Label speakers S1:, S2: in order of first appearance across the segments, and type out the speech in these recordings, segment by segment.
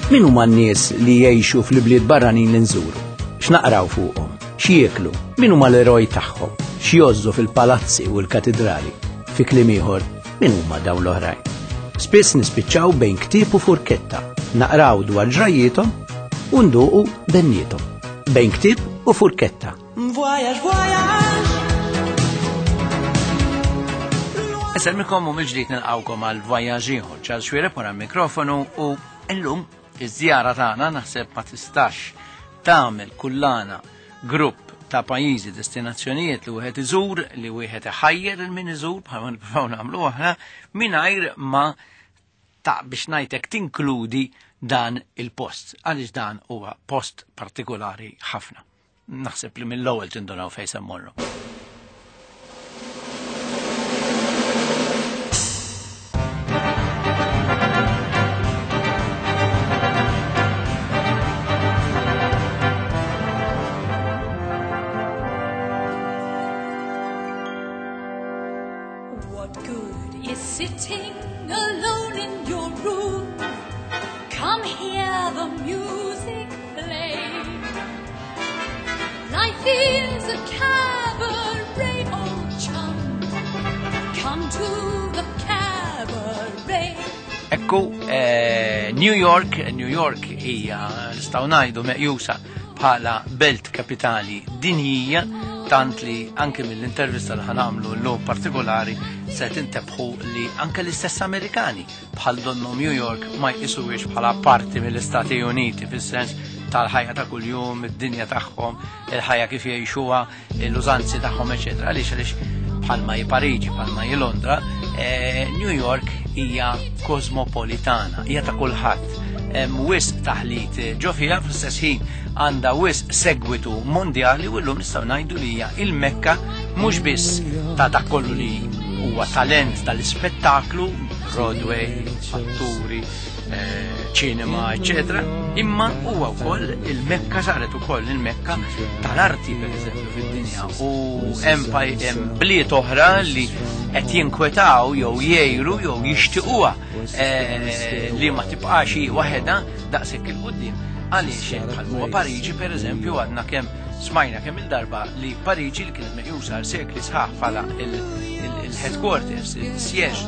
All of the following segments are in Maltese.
S1: Min huma n-nies li jgħixu fl-ibliet barranin li nżuru? X'naqraw fuqhom? X'jieklu? Min huma l-eroj tagħhom? X'jozzu fil-palazzi u l-katidrali? Fi kliem ieħor, min huma dawn l-oħrajn? Spiss nispiċċaw bejn ktieb u furketta, naqraw dwar ġrajjiethom u nduqu benniethom. Bejn ktieb u furketta.
S2: Voyage, voyage.
S1: Insellmikom u mill-ġdid nilqawkom għal voyage ieħor. Charles Xuereb wara l-mikrofonu u illum iż-żjara tagħna naħseb ma tistax tagħmel kullana grupp ta' pajjiżi destinazzjonijiet li wieħed iżur, li wieħed iħajjer il min iżur bħalma nippruvaw nagħmlu aħna mingħajr ma ta' biex ngħidlek tinkludi dan il-post għaliex dan huwa post partikolari ħafna. Naħseb li mill-ewwel tindunaw fejn se mmorru.
S2: What good is sitting alone in your room? Come hear the music play. Life is a cabaret, old chum. Come to the cabaret.
S1: Ekku, eh, New York, New York hija nistgħu ngħidu meqjusa bħala belt kapitali dinjija tant li anke mill-intervista li ħanamlu l-lum partikolari se tintebħu li anke l-istess Amerikani bħal donnu New York ma jqisuwiex bħala parti mill-Istati Uniti fis-sens tal-ħajja ta' kuljum, id-dinja tagħhom, il-ħajja kif jgħixuha, l-użanzi tagħhom, eċetera. Għaliex għaliex bħalma hi Pariġi, bħalma hi Londra, eh, New York hija kosmopolitana, hija ta' kulħadd. Hemm wisq taħlit ġo fiha fl-istess ħin għandha wisq segwitu mondjali u llum nistgħu ngħidu li hija il-Mekka mhux biss ta' dak kollu li huwa talent tal-ispettaklu, Broadway, atturi, eh, ċinema, eccetera, imma huwa wkoll il-Mekka saret ukoll il-Mekka tal-arti pereżempju fid-dinja u hemm bliet oħra li qed jinkwetaw jew jgħiru jew jixtiequha eh, li ma tibqax hi waħedha daqshekk il-qudiem għaliex bħal huwa Pariġi pereżempju għadna kemm smajna kemm il-darba li Pariġi li kienet meqjusa għal sekli sħaħ bħala il-headquarters, il-sieġ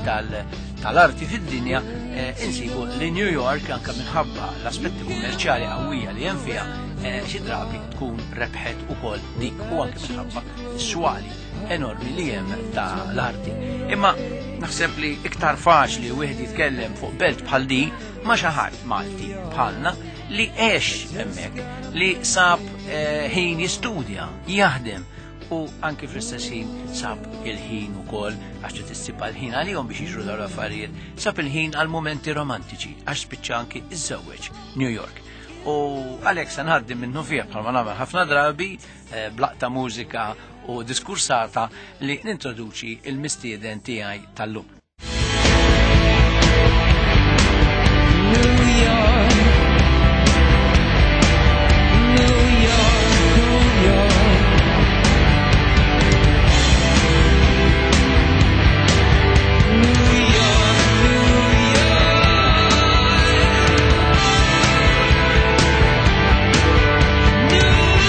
S1: tal-arti fid-dinja, eh, insibu li New York anka minħabba l-aspetti kummerċjali qawwija li hemm fiha eh, xi drabi tkun rebħet ukoll dik u anke minħabba s-swali enormi li hemm ta' l-arti. Imma naħseb li iktar faċli wieħed jitkellem fuq belt bħal di ma' xi ħadd Malti bħalna li għex hemmhekk, li sab eh, ħin jistudja, jaħdem u anki fl-istess ħin sab il-ħin ukoll għax trid issib għal-ħin għalihom biex jiġru dawn l-affarijiet, sab il-ħin għal mumenti romantiċi għax spiċċa anki iżżewweġ New York. U għalhekk se ngħaddi minnu fih bħalma nagħmel ħafna drabi eh, blaqta mużika u diskursata li nintroduċi il-mistieden tiegħi tal-lum.
S2: New York, New York, New York. New York, New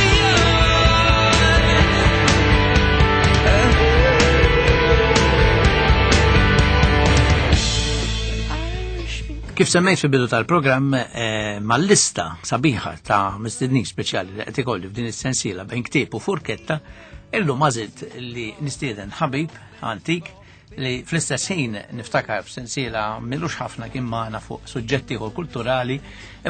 S1: Kif semmejt fil-bidu tal-programm eh, mal-lista sabiħa ta' mistednin speċjali li qed ikolli f'din is-sensiela bejn ktieb u furketta, illum għażilt li nistieden ħabib antik li fl-istess ħin niftakar f'sensiela milux ħafna kien magħna fuq suġġetti ieħor kulturali,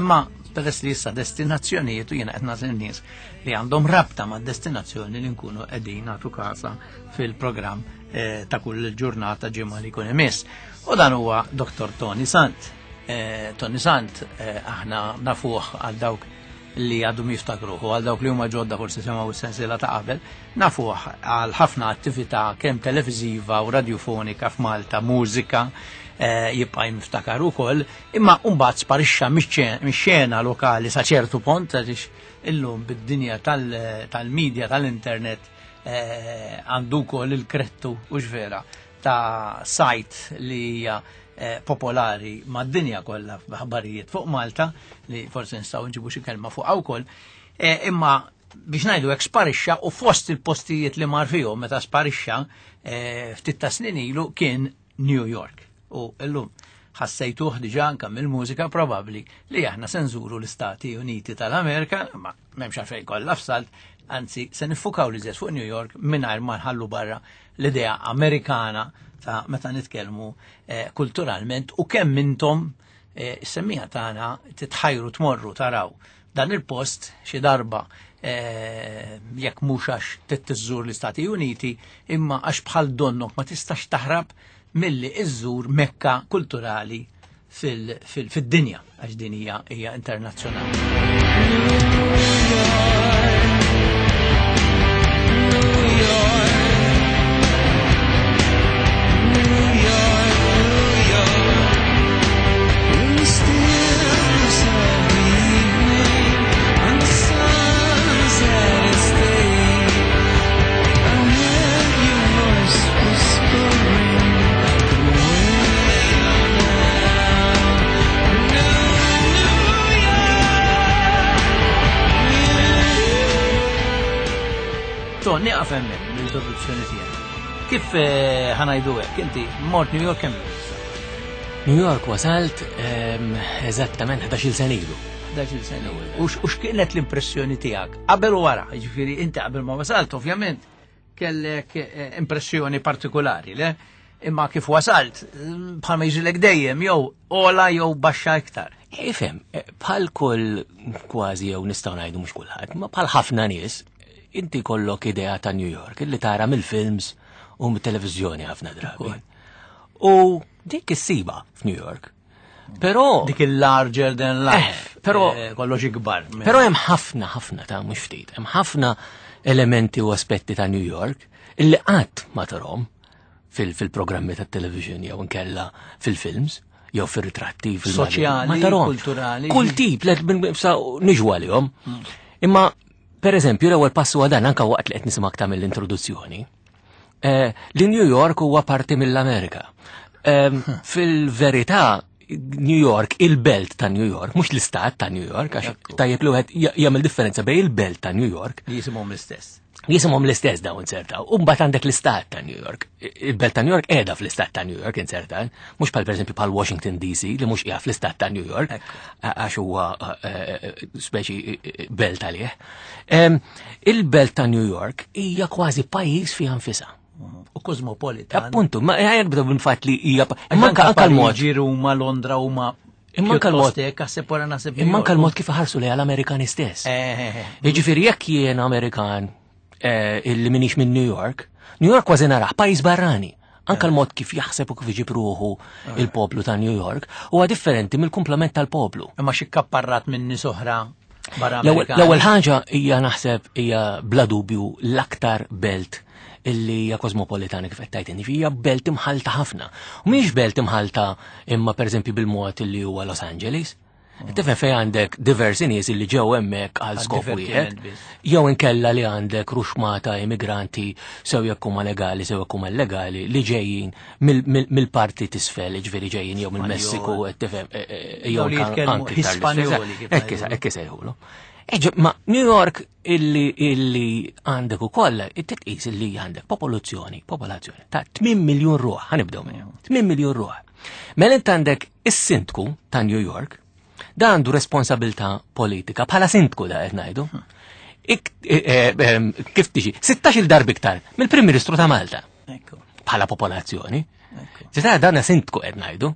S1: imma peress li issa destinazzjonijiet u jiena qed nagħżel nies li għandhom rabta ma' destinazzjoni li nkunu qegħdin nagħtu kasa fil-programm eh, ta' kull ġurnata ġimgħa li jkun imiss. U dan huwa Dr. Tony Sant. Eh, Tony Sant eh, aħna nafuh għal dawk li għadhom jiftakruh u għal dawk li huma ġodda forsi semgħu s-sensiela ta' qabel, nafuh għal ħafna attività kemm televiżiva u radjufonika f'Malta, mużika, eh, jibqa' jiftakar ukoll, imma mbagħad sparixxa mix-xena lokali sa ċertu pont għaliex illum bid-dinja tal-medja tal-internet għandu wkoll il-krettu u vera ta' sajt li hija popolari mad-dinja kollha f'aħbarijiet fuq Malta li forsi nistgħu nġibu xi kelma fuqha wkoll. Imma biex ngħidu hekk sparixxa u fost il-postijiet li mar fihom meta sparixxa ftit ta' snin ilu kien New York. U llum ħassejtuh diġà anke mill-mużika probabbli li aħna se nżuru l-Istati Uniti tal-Amerika, ma m'hemmx għalfejn kollha f'salt, anzi se niffukaw li fuq New York mingħajr ma nħallu barra l-idea Amerikana ta' meta nitkellmu kulturalment u kemm intom is-semmiegħa tagħna titħajru tmorru taraw dan il-post xi darba jekk mhux għax trid l-Istati Uniti imma għax bħal donnok ma tistax taħrab milli iżżur Mekka kulturali fid-dinja għax din hija internazzjonali. To, nieqaf hemmhekk l-introduzzjoni tiegħek. Kif ħa ngħidu hekk, inti mort New York kemm issa?
S3: New York wasalt eżattament 11-il sena ilu.
S1: 11-il sena ilu. U x'kienet l-impressjoni tiegħek? Qabel u wara, jiġifieri inti qabel ma wasalt, ovvjament, kellek impressjoni partikolari, le? Imma kif wasalt, bħalma jiġrilek dejjem, jew ola jew baxxa iktar.
S3: Ifhem, bħal kull kważi jew nistgħu ngħidu mhux kulħadd, ma bħal ħafna nies, inti kollok idea ta' New York illi tara mill-films u mit-televiżjoni ħafna drabi. U dik issiba f'New York. Però
S1: dik il-larger than life,
S3: però
S1: kollox ikbar.
S3: Però hemm ħafna ħafna ta' mhux ftit, hemm ħafna elementi u aspetti ta' New York illi qatt ma tarhom fil-programmi tat-television jew inkella fil-films jew fir-ritratti,
S1: fil-soċjali,
S3: ma tarhom.
S1: Kulturali.
S3: Kull tip, niġu għalihom. Imma per eżempju, l-ewwel passu huwa dan anke waqt li qed nisimgħek tagħmel l-introduzzjoni. Li New York huwa parti mill-Amerika. Fil-verità, New York, il-belt ta' New York, mhux l-istat ta' New York, għax tajjeb li wieħed jagħmel differenza bejn il-belt ta' New York.
S1: Li jisimhom l-istess.
S3: Jisimhom l-istess dawn insertaw. U mbagħad għandek l-istat ta' New York. Il-belt ta' New York qiegħda fl-istat ta' New York inserta, mhux bħal pereżempju bħal Washington DC li mhux qiegħda fl-istat ta' New York, għax huwa speċi belt għalih. Il-belt ta' New York hija kważi pajjiż fiha nfisha.
S1: U kosmopolitan.
S3: Appuntu, ma ħajja nibdew bil-fatt li hija
S1: Imma
S3: anka
S1: anka
S3: l-mod.
S1: Pariġi, Ruma, Londra huma
S3: Imma anka l-mod.
S1: Pjuttost hekk, għasib wara naħseb
S3: Imma anka
S1: New York.
S3: l-mod kif iħarsu lejha l-Amerikani stess. Jiġifieri jekk jien Amerikan illi minix minn New York, New York kważi narah pajjiż barrani. Anka l-mod kif jaħseb u kif iġib ruħu il-poplu ta' New York huwa differenti mill-kumplament tal-poplu.
S1: Imma xi kapparrat minn nies oħra barra Amerikani.
S3: L-ewwel ħaġa hija naħseb hija bla dubju l-aktar belt illi hija kosmopolitana kif qed tgħid inti, hija belt imħalta ħafna. U mhix belt imħalta imma pereżempju bil-mod illi huwa Los Angeles. Tifhem fejn għandek diversi nies illi ġew hemmhekk għal
S1: Għal
S3: skop
S1: divertiment
S3: wieħed,
S1: biss.
S3: jew inkella li għandek ruxmata immigranti sew jekk huma legali sew jekk huma illegali li ġejjin mill-parti t'isfel, jiġifieri ġejjin jew mill-Messiku,
S1: Spanjol.
S3: qed tifhem, jew
S1: Jew li jitkellmu
S3: anke iktar l-isfel.
S1: Hispanjoli, kif
S3: Hekk
S1: ngħidu.
S3: hekk isejħulu. Ma New York illi għandek ukoll, titqis illi għandek popolazzjoni ta' 8 miljun ruħ, ħanibdew minn 8 miljun ruħ. Mela int għandek is-sindku ta' New York, da għandu responsabilità politika, bħala sindku da qed ngħidu. Kif tiġi? 16-il darba iktar mill-Prim Ministru ta' Malta. Bħala popolazzjoni. Ġita dan sindku qed ngħidu.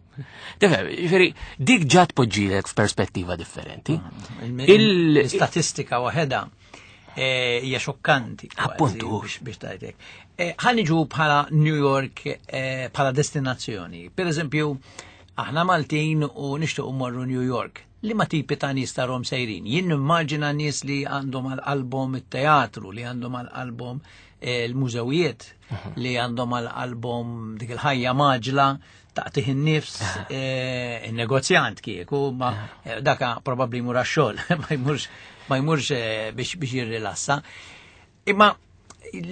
S3: Tifhem, jiġifieri dik ġat poġġilek f'perspettiva differenti.
S1: L-istatistika waħedha hija xokkanti kważi biex tgħidlek. Ħa niġu bħala New York bħala destinazzjoni. Per eżempju, aħna Maltin u nixtiequ mmorru New York. Li ma tipi ta' nies tarhom sejrin? Jien nimmaġina nies li għandhom għal-album it-teatru, li għandhom għal-album l-mużewijiet, li għandhom għal-album dik il-ħajja maġla taqtih in-nifs, il-negozjant kieku, ma daka probabbli jmur għax-xogħol, ma jmurx biex jirrilassa. Imma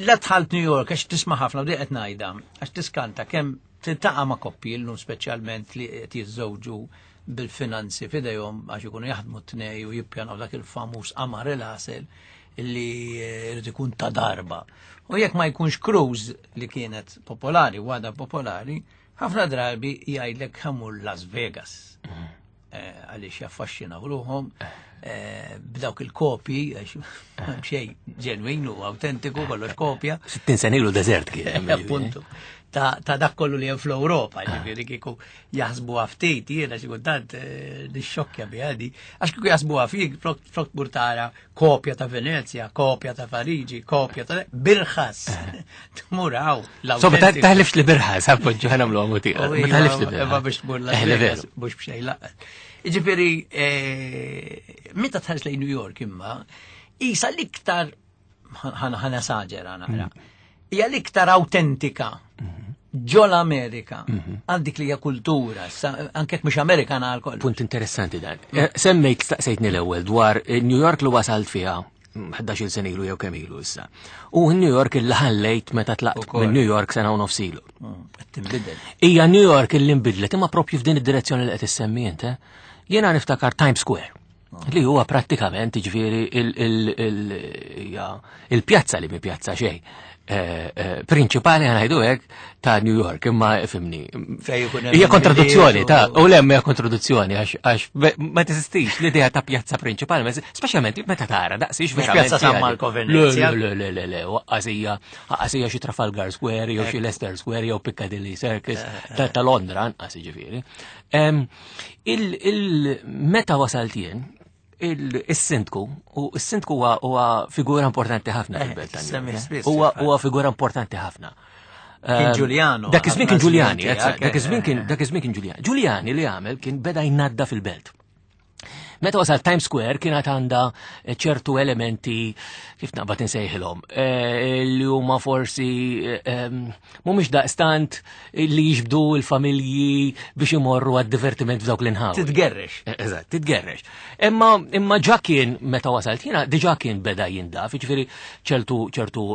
S1: La dħalt New York, għax tisma' ħafna, u qed ngħidha, għax tiskanta kemm tiltaqa' ma' koppji llum speċjalment li qed jiżżewġu bil-finanzi f'idejhom għax ikunu jaħdmu t-tnej u jippjanaw dak il-famuż qamar il-għasel li jrid ikun ta' darba. U jekk ma jkunx cruise li kienet popolari u għadha popolari, ħafna drabi jgħidlek ħa mmur Las Vegas. Għaliex jaffaxxinaw ruħhom b'dawk il-kopji, għax xejn ġenwin u autentiku, kollox kopja.
S3: 60 sena ilu deżert kien.
S1: Appuntu. Ta' dak kollu li hemm fl-Ewropa, ġifieri kieku jaħsbu ftit, jiena xi kultant nixxokkja bi għadi, għax kieku jaħsbu fik flok tmur tara kopja ta' Venezia, kopja ta' Pariġi, kopja ta' birħas. Tmur hawn.
S3: So, ma taħlifx li birħas, appoġġu ħa nagħmlu għamu tiegħek. Ma taħlifx li birħas.
S1: Ma biex tmur la mhux b'xejn laqgħet. Ġifieri, meta tħares lejn New York imma, isa l-iktar ħana saġera naqra. Hija l-iktar autentika ġol Amerika, għal dik li hija kultura, anke mhux Amerikana għal kollox.
S3: Punt interessanti dan. Semmejt staqsejtni l-ewwel dwar New York li wasalt fiha 11-il sena ilu jew kemm ilu issa. U New York illi ħallejt meta tlaqt minn New York sena u nofs ilu.
S1: Qed tinbidel.
S3: Hija New York illi nbidlet imma propju f'din id-direzzjoni li qed issemmi int. Jiena niftakar Times Square. Li huwa prattikament ġifieri il-pjazza li mi pjazza xejn. Prinċipali ħa ngħidu hekk ta' New York, imma fimni. Hija kontraduzzjoni ta' u hemm hija kontraduzzjoni għax ma teżistix l-idea ta' pjazza prinċipali, speċjalment meta tara daqsix
S1: verament. Pjazza San Marco Venezia.
S3: Le, le, le, le, waqqasija, waqqasija xi Trafalgar Square jew xi Leicester Square jew Piccadilly Circus ta' Londra anqas ġifieri. Meta wasalt jien, il-sindku, u s-sindku huwa figura importanti ħafna fil-belt ta' Huwa figura importanti ħafna.
S1: Kien Giuliano.
S3: Dak iż-żmien kien Giuliani, dak iż-żmien kien dak iż-żmien kien Giuliani. Giuliani li għamel kien beda jnadda fil-belt. Meta wasal Times Square kienet għandha ċertu elementi kif naqbad insejħilhom li huma forsi mhumiex daqstant li jiġbdu l-familji biex imorru għad-divertiment f'dawk l-inħawi.
S1: Titgerrex.
S3: Eżatt, titgerrex. Imma ġa kien meta wasalt jiena diġà kien beda jindaf, jiġifieri ċertu ċertu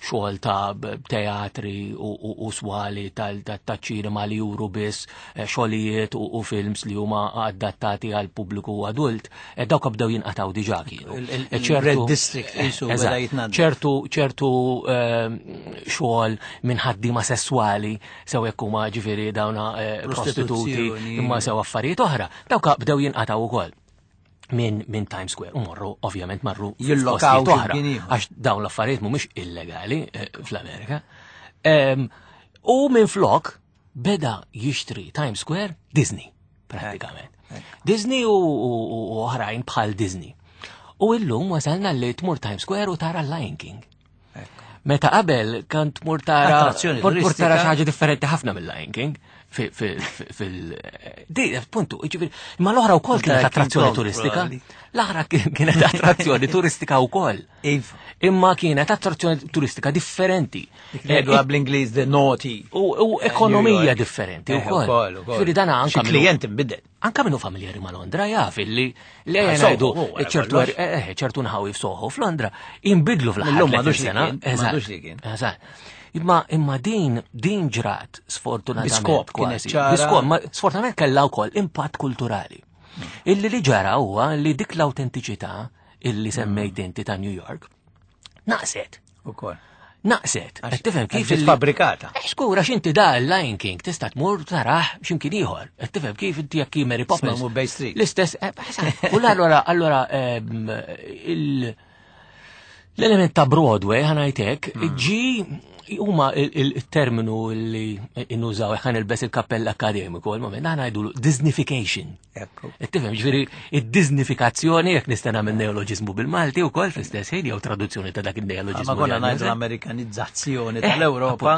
S3: xogħol ta' teatri u swali tal-ċinema li juru biss xogħlijiet u films li huma adattati għal pubbliku adult, dawk bdew jinqataw diġà kienu.
S1: Il-Red District qisu beda jitnadda.
S3: Ċertu ċertu xogħol minn ħaddiema sesswali sew jekk huma ġifieri dawna prostituti imma sew affarijiet oħra, dawk bdew jinqataw ukoll minn Times Square u morru ovvjament marru
S1: jillokaw
S3: oħra għax dawn l-affarijiet mhumiex illegali fl-Amerika. U minn flok beda jixtri Times Square Disney prattikament. Disney u oħrajn bħal Disney. U illum wasalna li tmur Times Square u tara Lion King. Meta qabel kan tmur tara tmur tara xi ħaġa differenti ħafna mill-Lion King fil di puntu, jiġifieri, imma l-oħra wkoll kienet attrazzjoni turistika. L-oħra kienet attrazzjoni turistika wkoll. Imma kienet attrazzjoni turistika differenti.
S1: Ngħidu bl-Ingliż the naughty.
S3: U ekonomija differenti wkoll. Ġifieri dan anke
S1: klient inbidel.
S3: Anka minnu familjari ma' Londra jaf illi li ngħidu ċertu ċertu nħawi f'Soho f'Londra inbidlu fl-aħħar sena. Eżatt. Imma imma din din ġrat sfortunatament.
S1: Biskop
S3: kważi. Biskop, ma sfortunatament kellha wkoll impatt kulturali. Illi li ġara huwa li dik l-autentiċità illi semmejt inti ta' New York naqset.
S1: Ukoll.
S3: Naqset. Qed tifhem kif
S1: il fabbrikata.
S3: Xkura x'inti da Lion King tista' tmur taraħ x'imkien ieħor. Qed tifhem kif inti jekk Mary Poppins.
S1: Bay Street.
S3: L-istess, u allura allura l-element ta' Broadway ħa ngħidlek ġi huma il-terminu li innużaw ħa nilbes il-kappell akademiku għal-moment aħna ngħidu Disneyfication. Tifhem, ġifieri id-Disneyfikazzjoni jekk nista' nagħmel neoloġiżmu bil-Malti wkoll fl-istess ħin jew traduzzjoni ta' dak il-neoloġiżmu.
S1: Ma konna ngħidu l-Amerikanizzazzjoni tal-Ewropa,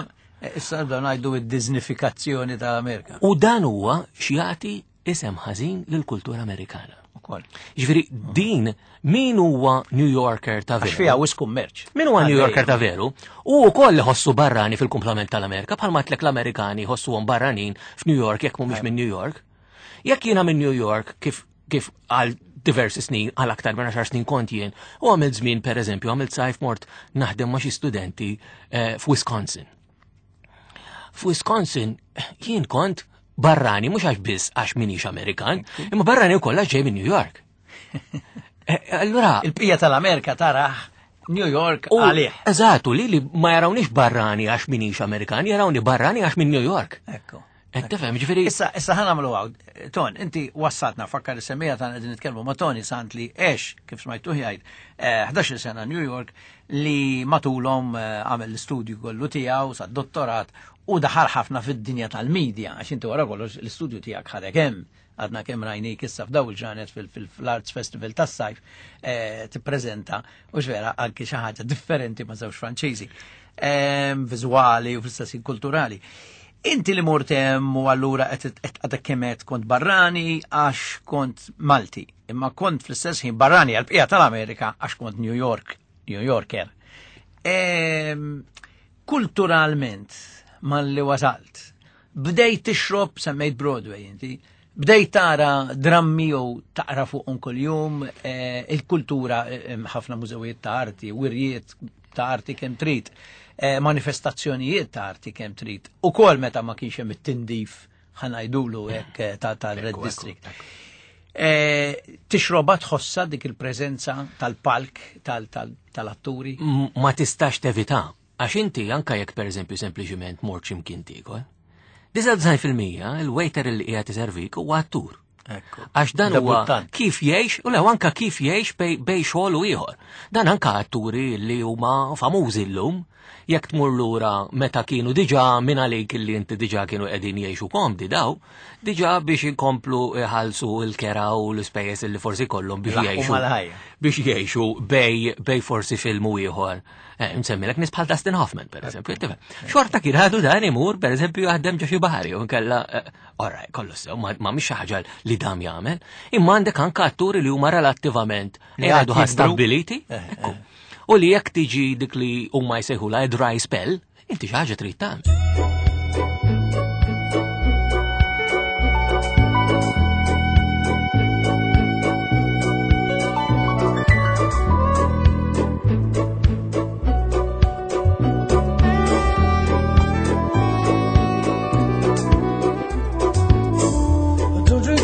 S1: issa nibdew ngħidu id-Disneyfikazzjoni tal-Amerika.
S3: U dan huwa x'jagħti isem ħażin lill-kultura Amerikana. Ġifieri din min huwa New Yorker ta' veru?
S1: Għax fiha wisq kummerċ.
S3: Min huwa New Yorker ta' veru? U wkoll iħossu barrani fil-kumplament tal-Amerika, bħalma tlek l-Amerikani jħossuhom barranin f'New York jekk mhumiex minn New York. Jekk jiena minn New York kif kif għal diversi snin, għal aktar minn 10 snin kont jien, u għamilt żmien pereżempju, għamilt sajf mort naħdem ma' xi studenti eh, f'Wisconsin. F'Wisconsin jien kont barrani mhux għax biss għax minix Amerikan, imma barrani wkoll għax ġej minn New York. Eh, allura.
S1: Il-bqija tal-Amerika taraħ New York għalih.
S3: Eżatt, li li ma jarawniex barrani għax minix Amerikan, jarawni barrani għax minn New York.
S1: Ekku.
S3: Qed tifhem, ġifieri.
S1: Issa, issa ħa nagħmlu hawn. Ton, inti wassatna fakkar is-semmija tagħna qegħdin nitkellmu ma' Tony Sant li għex kif smajtuh jgħid 11-il eh, sena New York li matulhom eh, għamel l-istudju kollu tiegħu sa dottorat u daħal ħafna fid-dinja tal-medja għax inti wara kollox l-istudju tiegħek ħadek hemm għadna kemm rajnik issa f'daw il-ġranet fil-Arts Festival tas-sajf eh, tippreżenta u vera anki xi ħaġa differenti ma' żewġ Franċiżi, viżwali u fl-istess kulturali. Inti li mort hemm u allura qed għadek kemm għedt kont barrani għax kont Malti, imma kont fl-istess ħin barrani għall-bqija tal-Amerika għax kont New York, New Yorker. Kulturalment, malli wasalt, bdejt tixrob, semmejt Broadway inti, bdejt tara drammi jew taqra fuqhom kuljum, eh, il-kultura eh, ħafna mużewijiet ta' arti, wirjiet ta' arti kemm trid, eh, manifestazzjonijiet ta' arti kemm trid. Ukoll meta ma kienx hemm it-tindif ħanajdulu hekk eh, ta' tal-Red District. Eh, tixroba tħossa dik il-preżenza tal-palk tal-atturi?
S3: Ma tistax tevita, għax inti anka jekk pereżempju sempliċiment mort x'imkien tiekol. 99% il-waiter li qiegħed iservik huwa attur. Għax dan huwa kif jgħix, u lew anka kif jgħix bej xogħol u ieħor. Dan anka atturi li huma famużi llum, jekk tmur lura meta kienu diġà minn għalik li inti diġà kienu qegħdin jgħixu komdi daw, diġà biex inkomplu iħallsu l-kera u l-ispejjeż li forsi kollhom biex jgħixu. Biex jgħixu bej bej forsi film u ieħor. Eh, nsemmilek nies bħal Dustin Hoffman, per eżempju. Xorta kien għadu dan imur, per eżempju, jaħdem ġo xi bahari, u nkella eh, Ora, kollu sew, ma mhix xi ħaġa li dam jagħmel, imma għandek anke atturi li huma relattivament li għadu stabbiliti. Eh, eh. U li jekk tiġi dik li huma jsejħula dry spell, inti xi ħaġa trid tagħmel.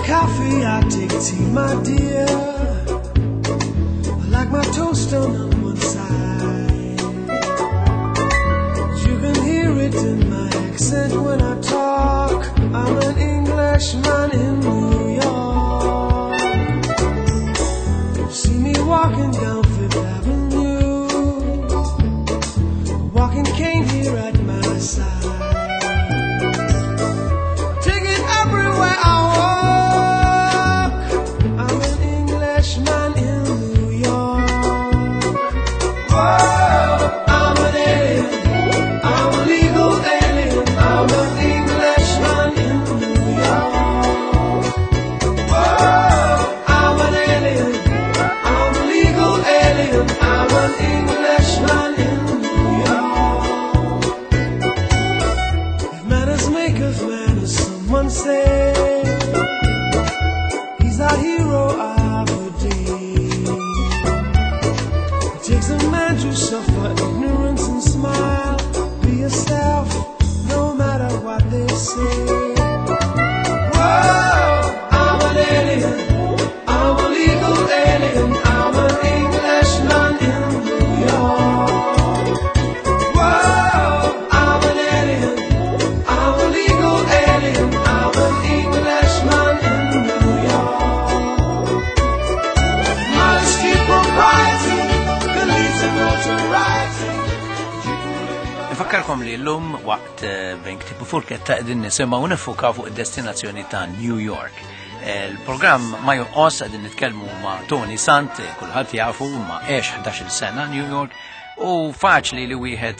S3: Coffee, I take tea, my dear. I like my toast done on one side. You can hear it in my accent when I talk. I'm an Englishman in New York. See me walking down Fifth Avenue, walking cane here at my side. Take it everywhere I walk. I'm an Englishman in New York. Whoa, I'm an alien. I'm a legal alien. I'm an Englishman in New York. Whoa, I'm an alien. I'm a legal alien. I'm an Englishman in New York. If manners make of manners, someone say he's our hero of the day. It takes a man to suffer ignorance and smile. Be yourself, no matter what they say. Whoa, I'm an alien. I'm a legal alien. I'm an Englishman in New York. Whoa, I'm an alien. I'm a legal alien. I'm an Englishman in New York. Modesty, propriety can lead to notoriety.
S1: Nfakkarkom li l-lum waqt eh, bejn ktieb u furketta qegħdin nisimgħu nifukaw fuq id-destinazzjoni ta' New York. Eh, il-programm ma jonqos qegħdin nitkellmu ma' Tony Sant, eh, kulħadd jafu ma' għex 11-il sena New York u faċli li wieħed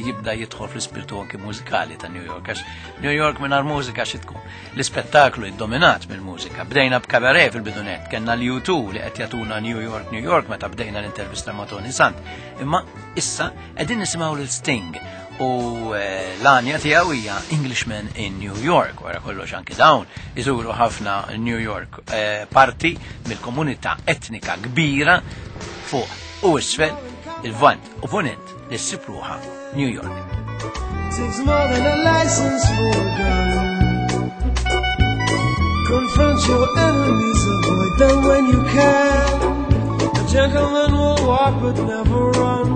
S1: jibda jidħol fl-ispirtu anki mużikali ta' New York, għax New York mingħajr mużika xi tkun. L-ispettaklu iddominat mill-mużika. Bdejna b'kabaret fil-bidunet, kellna l-U2 li qed jagħtuna New York, New York meta bdejna l-intervista ma' Tony Sant. Imma issa qegħdin nisimgħu lil Sting U eh, l-għanja tiegħu hija Englishman in New York, wara kollox anki dawn iżuru ħafna New York eh, parti mill-komunità etnika kbira fuq u isfel il-Vant u Ponent li ssib ruħha New York. Takes more than a license for a gun. Confront your enemies, avoid them when you can. A gentleman will walk but never run.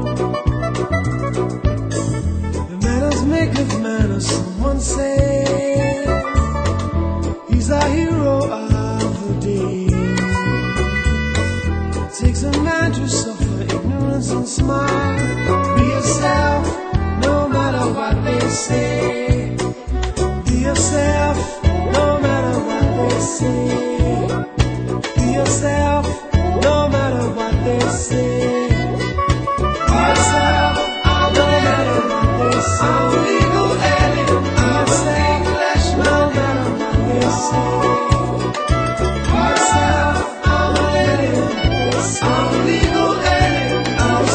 S1: The manners make of manners, someone say. He's our hero of the day. It takes a man to suffer ignorance and smile. Be yourself, no matter what they say. Be yourself, no matter what they say. Be yourself, no matter what they say. Be yourself, no matter what they say. I'm a legal alien, I'm an Englishman, no matter what they say. Be yourself, I'm an alien. I'm a legal alien, I'm an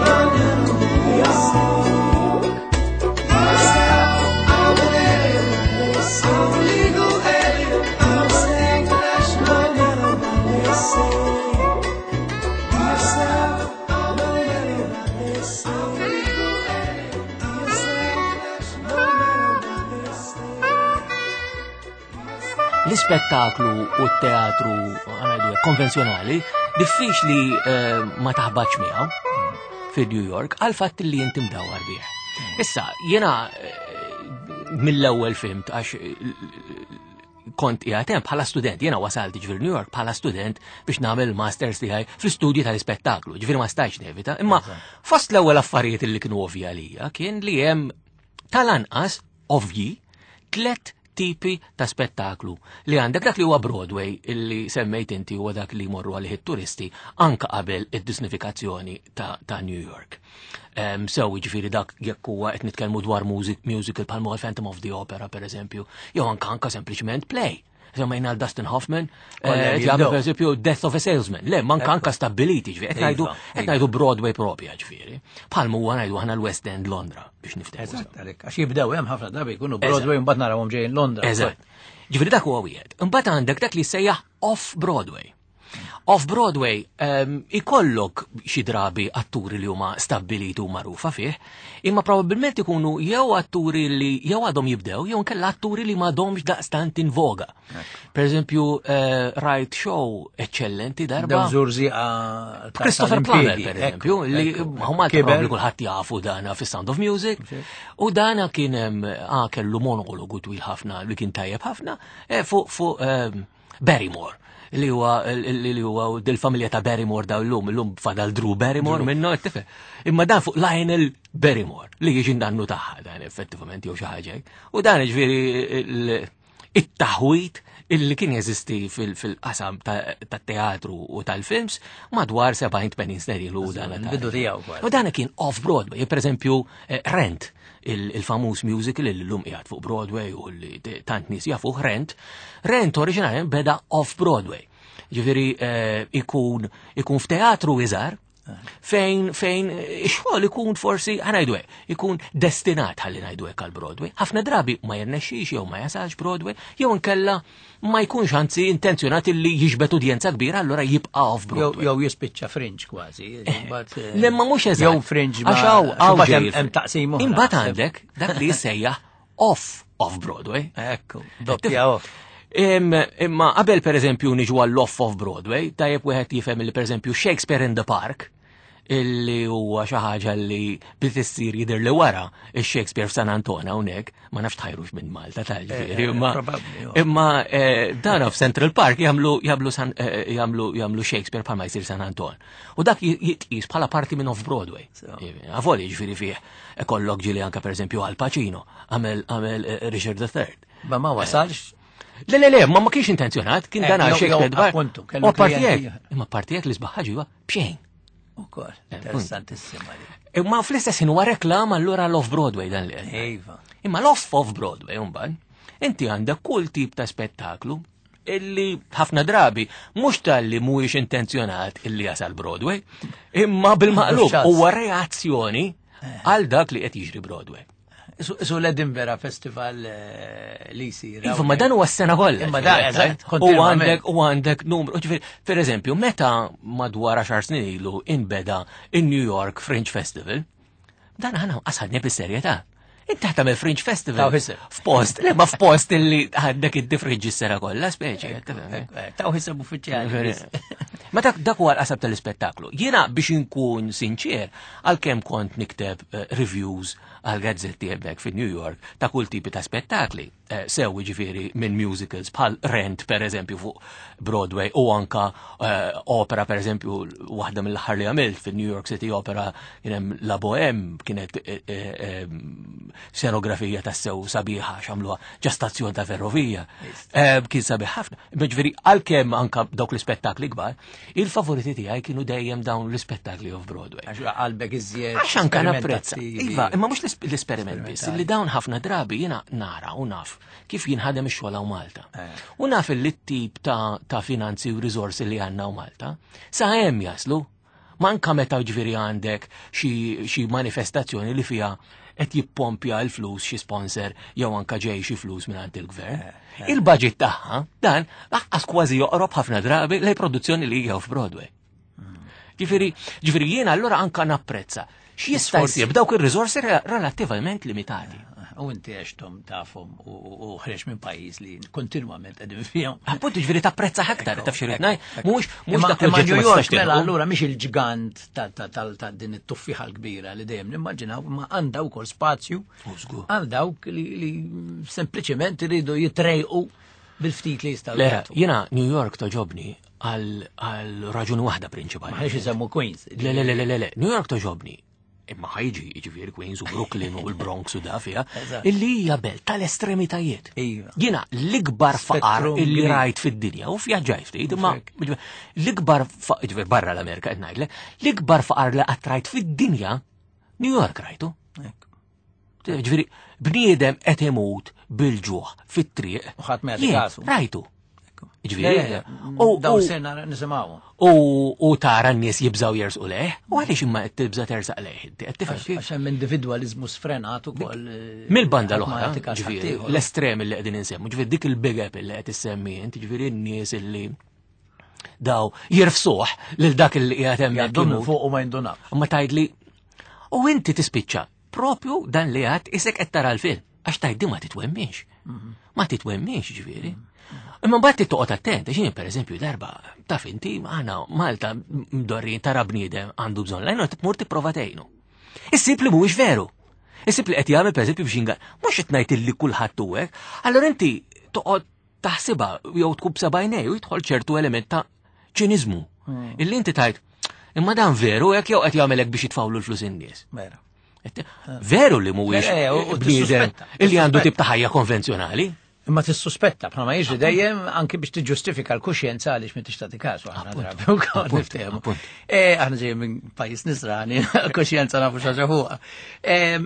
S1: Englishman, no matter what they say. Be yourself, I'm an alien. I'm a legal alien, I'm an Englishman, no matter what they say. Be yourself, I'm an alien. I'm a legal alien, I'm an Englishman, no matter what they say.
S3: L-ispettaklu u t-teatru ħa ngħidu hekk, konvenzjonali diffiċli ma taħbatx miegħu fi New York għal fatt li inti mdawwar bih. Issa, jiena mill-ewwel fhimt għax kont qiegħed hemm bħala student, jiena wasalt ġifieri New York bħala student biex nagħmel il-masters tiegħi fl-istudji tal-ispettaklu, ġifieri ma stajtx nevita, imma fost l-ewwel affarijiet li kienu ovvja għalija kien li hemm tal-anqas ovvji tlet tipi ta' spettaklu li għandek dak li huwa Broadway illi semmejt inti huwa dak li jmorru għalih it-turisti anka qabel id-disnifikazzjoni ta' New York. Sew jiġifieri dak jekk huwa qed nitkellmu dwar musical bħal huwa Phantom of the Opera per eżempju, jew anka sempliċement play. Semmejna għal Dustin Hoffman,
S1: Kollha
S3: jagħmel
S1: jibdew.
S3: per eżempju Death of a Salesman. Le, manka anka stabiliti, ġifieri, qed ngħidu qed ngħidu Broadway propja, ġifieri. Bħal huwa ngħidu aħna l-West End Londra biex niftehmu.
S1: Eżatt, għalhekk, għax jibdew hemm ħafna drabi jkunu Broadway mbagħad narawhom ġejjin Londra.
S3: Eżatt. Ġifieri dak huwa wieħed. Imbagħad għandek dak li sejjaħ off-Broadway. Off-Broadway ikollok xi drabi atturi li huma stabbiliti u magħrufa fih, imma probabbilment ikunu jew atturi li jew għadhom jibdew jew inkella atturi li m'għadhomx daqstant in voga. Per eżempju, rajt show eċċellenti darba.
S1: Dawn żurżieqa
S3: Christopher
S1: tal-impjiegi,
S3: Plummer, per eżempju, li huma
S1: Kiber.
S3: probabbli kulħadd jafu dana fi Sound of Music. U dana kien kellu monologu twil ħafna li kien tajjeb ħafna fuq Barrymore, li huwa li huwa dil-familja ta' Barrymore daw llum, illum fadal Drew Barrymore minnu, tifhem. Imma dan fuq Lionel Barrymore li jiġi nannu tagħha dan effettivament jew xi ħaġa hekk. U dan ġifieri it-taħwit illi kien jeżisti fil-qasam tat-teatru u tal-films madwar 70-80 sena ilu dan
S1: Eżatt, il-bidu tiegħu kważi.
S3: U dan kien off-Broadway, per eżempju, Rent, il-famuż musical li llum qiegħed fuq Broadway u li tant nies jafuh Rent. Rent oriġinarjament beda off-Broadway. Ġifieri ikun f'teatru iżgħar fejn ix-xogħol ikun forsi, ħa ngħidu hekk, ikun destinat ħalli ngħidu hekk għal Broadway. Ħafna drabi ma jirnexxix jew ma jasalx Broadway, jew inkella ma jkunx anzi intenzjonat illi jiġbed udjenza kbira, allura jibqa' off Broadway.
S1: Jew jispiċċa fringe kważi, imbagħad,
S3: Le, ma mhux eżatt.
S1: Jew fringe ma
S3: Għax hawn
S1: imbagħad
S3: ġej
S1: hemm taqsim oħra.
S3: Imbagħad għandek dak li jissejjaħ off off Broadway.
S1: Ekku, doppja off.
S3: Imma qabel per eżempju niġu għall-off off Broadway, tajjeb wieħed jifhem li per eżempju Shakespeare in the Park, illi huwa xi ħaġa li bdiet issir jidher li wara ix-Shakespeare f'San Anton hawnhekk, ma nafx tħajrux minn Malta tal-ġifieri,
S1: Probabbli, jo.
S3: imma dana f'Central Park jagħmlu Shakespeare bħalma jsir San Anton. U dak jitqis bħala parti minn off-Broadway. Avolja ġifieri fih ikollok ġieli anke per eżempju Al Pacino għamel Richard the Third.
S1: Ma ma wasalx.
S3: Le, le, le, ma kienx intenzjonat, kien dan għal Shakespeare dwar.
S1: Appuntu, kellu
S3: U parti
S1: klijenti
S3: hekk, imma parti hekk li sbaħ ħaġa huwa b'xejn.
S1: Ukoll, interessantissima li.
S3: Imma fl-istess ħin huwa reklam allura l-off-Broadway dan li qed.
S1: Iva.
S3: Imma l-off off-Broadway mbagħad, inti għandek kull tip ta' spettaklu illi ħafna drabi mhux talli mhuwiex intenzjonat illi jasal Broadway, imma bil-maqlub
S1: Mhux ċans.
S3: huwa reazzjoni għal dak li qed jiġri Broadway.
S1: Su l-Edinburgh Festival li jsir.
S3: Iva, ma dan huwa s-sena kollha.
S1: Imma dan, eżatt,
S3: U għandek u għandek numru, ġifieri, per eżempju, meta madwar 10 snin ilu inbeda in-New York Fringe Festival, dan aħna qasadni bis-serjetà. Inti tagħmel Fringe Festival. F'post, le ma f'post illi għandek id-difrinġi s-sena kollha, speċi.
S1: Taw ħiseb uffiċjali.
S3: Ma dak dak huwa l-qasab tal-ispettaklu. Jiena biex inkun sinċer, għalkemm kont nikteb reviews għal gazzetti hemmhekk fi New York ta' kull tipi ta' spettakli, sew jiġifieri minn musicals bħal Rent per eżempju fuq Broadway u anka opera per eżempju waħda mill-aħħar li għamilt fi New York City Opera kien hemm La Bohème, kienet scenografija tassew sabiħa x'għamluha ġa stazzjon ta' ferrovija. Kien sabiħ ħafna. Ġifieri għalkemm anka dawk l-ispettakli kbar, il-favoriti tiegħi kienu dejjem dawn l-ispettakli off Broadway.
S1: Għax qalbek iżjed.
S3: Għax anka napprezza. Iva, imma mhux l-esperiment biss, li dawn ħafna drabi jiena nara u naf kif jinħadem ix-xogħol hawn Malta. U naf li t-tip ta' finanzi u riżorsi li għandna hawn Malta sa hemm jaslu. Manka meta ġifieri għandek xi manifestazzjoni li fiha qed jippompja l-flus xi sponsor jew anka ġej xi flus mingħand il-gvern. Il-budget tagħha dan lanqas kważi joqrob ħafna drabi lejn produzzjoni li hija f'Broadway. Ġifieri jiena allura anka napprezza x'jista' jsir b'dawk ir-riżorsi relattivament limitati.
S1: U inti għextom tafhom u ħreġ minn pajjiż li kontinwament qegħdin fihom.
S3: Appuntu ġifieri tapprezza aktar, taf xi ngħid, mhux dak
S1: Imma
S3: l-oġġett
S1: New
S3: ma
S1: York
S3: tistax tilħqu.
S1: mela allura mhix il-ġgant ta' din it-tuffiħa l-kbira li dejjem nimmaġinaw, imma għandha wkoll spazju
S3: U żgur.
S1: għal dawk li sempliċement iridu jitrejqu bil-ftit li jistgħu
S3: Le,
S1: jagħtu.
S3: jiena New York toġobni għal raġuni waħda prinċipali.
S1: Ma ħniex isemmu Queens.
S3: Le, le, le, le, le, le, New York toġobni. Imma ħajġi, jiġifieri Queens u Brooklyn u l-Bronx u da fiha, illi hija belt tal-estremitajiet. Jiena l-ikbar faqar
S1: Spettrum
S3: illi
S1: kbir.
S3: rajt fid-dinja, u vjaġġajt ftit, imma l-ikbar faqar, jiġifieri barra l-Amerika qed ngħidlek, l-ikbar faqar li qatt rajt fid-dinja, New York rajtu. Ġifieri, bniedem qed imut bil-ġuħ fit-triq.
S1: U ħadd ma jagħti
S3: Jien
S1: kasu.
S3: Rajtu. Ġifieri,
S1: Le, le, daw sena nisimgħu.
S3: U tara n-nies jibżaw jersqu leh, u għaliex imma qed tibża tersaq leh, inti qed tifhem kif?
S1: Għax hemm individwaliżmu sfrenat ukoll,
S3: Mill-banda
S1: ħadd ma
S3: l-oħra,
S1: jagħti każ
S3: ġifieri,
S1: ħaddieħor.
S3: l-estrem li qegħdin insemmu, ġifieri dik il-Big Apple li qed issemmi int, ġifieri n-nies illi daw jirfsuh lil dak li qiegħed hemmhekk
S1: Jgħaddu minn
S3: imut.
S1: fuq u ma jindunaw.
S3: Ma tgħidli, u inti tispiċċa propju dan li għad isek qed tara l-film, għax tgħid di ma titwemminx. Ma titwemminx ġifieri. Imma mbagħad toqgħod attent, għax jien pereżempju darba taf inti aħna Malta mdorrin tara bniedem għandu bżonn lajnu tmur tipprova tgħinu. Issib li mhuwiex veru. Issib li qed jagħmel pereżempju biex jinga, mhux qed ngħid illi kulħadd hu hekk, allura inti toqgħod taħsibha jew tkun b'sebgħinej u jidħol ċertu element ta' ċiniżmu. Illi inti tgħid, imma dan veru hekk jew qed jagħmel hekk biex jitfawlu l-flus in-nies.
S1: Vera.
S3: Veru li mhuwiex
S1: Le, u
S3: bniedem
S1: tissuspetta,
S3: illi għandu
S1: tissuspetta.
S3: tip ta' ħajja konvenzjonali.
S1: Imma tissuspetta, bħalma jiġri dejjem anki biex tiġġustifika l-kuxjenza għaliex m'intix tagħti kasu, aħna drabi wkoll niftehmu. Aħna ġejjin minn pajjiż nisrani, kuxjenza nafu xi ħaġa fuqha.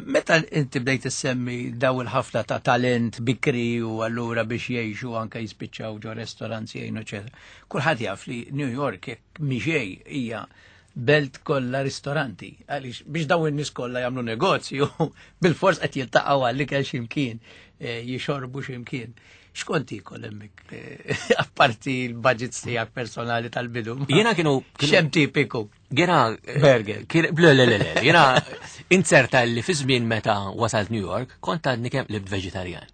S1: Meta inti bdejt issemmi daw il-ħafna ta' talent bikri u allura biex jgħixu anke jispiċċaw ġo restaurants jgħinu, eċetera. Kulħadd jaf li New York jekk miġej hija belt kollha ristoranti, għaliex biex dawn in-nies kollha jagħmlu negozju, bil-fors qed jiltaqgħu għall-ikel x'imkien, jixorbu x'imkien. X'kont tiekol hemmhekk, apparti l-budgets tiegħek personali tal-bidu?
S3: Jiena kienu kienu
S1: X'hemm tipiku?
S3: Jiena,
S1: Burger.
S3: kien, le, le, le, le, jiena inzerta li fi żmien meta wasalt New York, kont għadni kemm libt veġitarjan.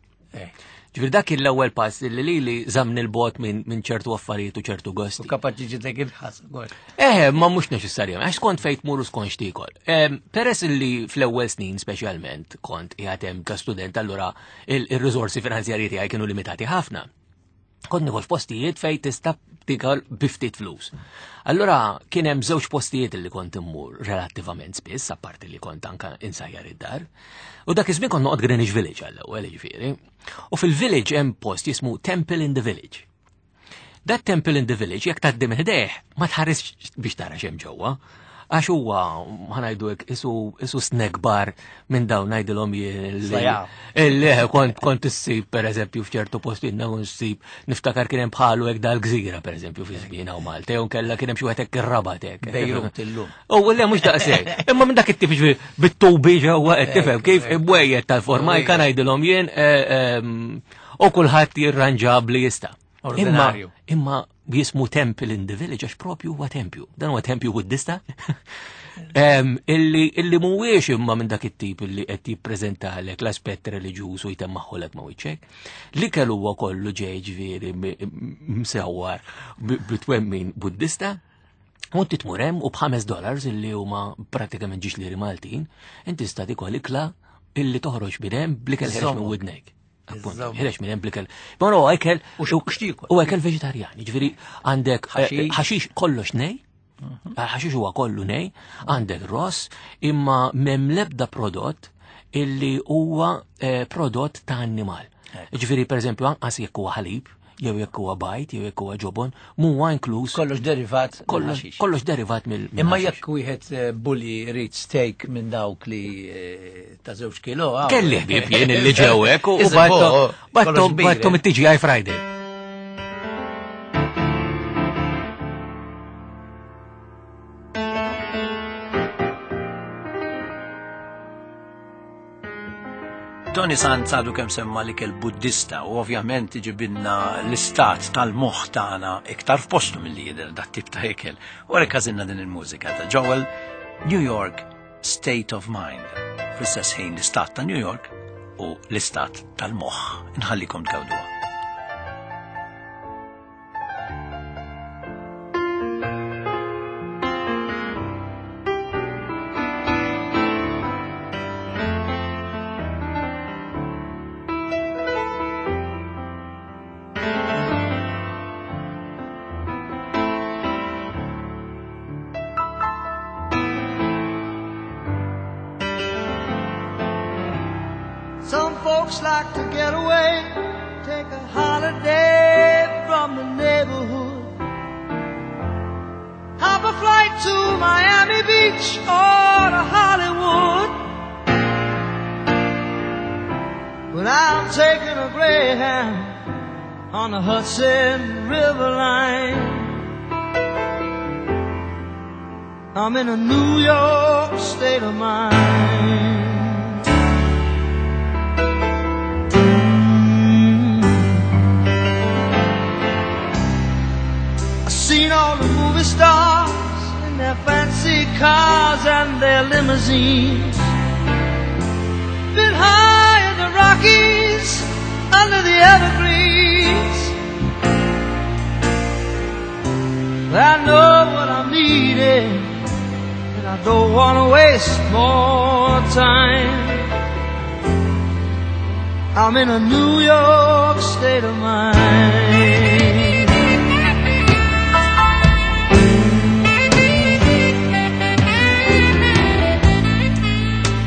S3: Ġifieri dak kien l-ewwel pass li lili żamni l-bogħod minn ċertu affarijiet u ċertu gosti.
S1: U kapaċi ġitek il-ħas ukoll.
S3: Ma mhux neċessarjament, għax kont fejn tmur u skont x'tiekol. Peress li fl-ewwel snin speċjalment kont qiegħed hemm ta' student, allura il-riżorsi finanzjarji tiegħi kienu limitati ħafna. Kont nikol f'postijiet fejn tista' tikol bi ftit flus. Allura kien hemm żewġ postijiet li kont immur relattivament spiss, apparti li kont anka insajjar id-dar. U dak iż-żmien kont noqgħod Greenwich Village għall-ewwel, jiġifieri. U fil-village hemm post jismu Temple in the Village. Dat Temple in the Village jekk tgħaddi minn ħdejh ma tħaresx biex tara x'hemm ġewwa. Għax huwa ħa ngħidu hekk isu snack bar minn dawn ngħidilhom jien li kont issib pereżempju f'ċertu postijiet kont issib niftakar kien hemm bħalu hekk dal-gżira pereżempju fi żmien hawn Malta jew kellha kien hemm xi wieħed hekk ir-Rabat hekk.
S1: Bejrut illum.
S3: U le mhux daqshekk. Imma minn dak it-tip ġifieri bit-tubi ġewwa qed tifhem kif imwejjed tal-formajka ngħidilhom jien u kulħadd jirranġa bli jista'.
S1: Ordinarju.
S3: Imma jismu Temple in the Village għax propju huwa tempju. Dan huwa tempju Buddista. Illi mhuwiex imma minn dak it-tip illi qed jippreżentalek l-aspett reliġjuż u jtemmaħħolek ma' wiċċek. L-ikel huwa kollu ġej ġifieri msewwar bitwemmin Buddista. U inti tmur hemm u b'ħames dollars illi huma pratikament ġiex liri Maltin, inti tista' tikol ikla illi toħroġ minn hemm bl-ikel ħereġ minn widnejk. Appunto, ħirex minn hemm blikel. Ma no, ekel
S1: U x'tiekol?
S3: U ekel veġitarjan, jiġifieri għandek ħaxix kollox nej, ħaxix huwa kollu nej, għandek ross, imma m'hemm l-ebda prodott illi huwa prodott ta' annimal. Jiġifieri pereżempju anqas jekk huwa ħalib, jew jekk huwa bajt, jew jekk huwa ġobon, m'huwa inkluż.
S1: Kollox derivat mill ħaxix.
S3: Kollox derivat mill
S1: Imma
S3: ħaxix.
S1: jekk wieħed bulli jrid steak minn dawk li ta' żewġ kilo, għaw.
S3: Kelli ħbieb jien illi ġew hekk u
S1: Iżda, kollox kbir,
S3: battom
S1: eh.
S3: it-TGI Friday.
S1: Tony Sant għadu kemm semma li kell Buddista u ovvjament iġibinna l-istat tal-moħħ tagħna iktar f'postu milli jidher dat tip ta' ikel. U għalhekk għażilna din il-mużika ta' Joel, New York State of Mind. Fl-istess ħin l-istat ta' New York u l-istat tal-moħħ. Inħallikom tgawduha.
S4: Some folks like to get away, take a holiday from the neighborhood. Hop a flight to Miami Beach or to Hollywood. But I'm taking a Greyhound on the Hudson River line. I'm in a New York state of mind. Seen all the movie stars in their fancy cars and their limousines. Been high in the Rockies, under the evergreens. But I know what I'm needing, and I don't want to waste more time. I'm in a New York state of mind.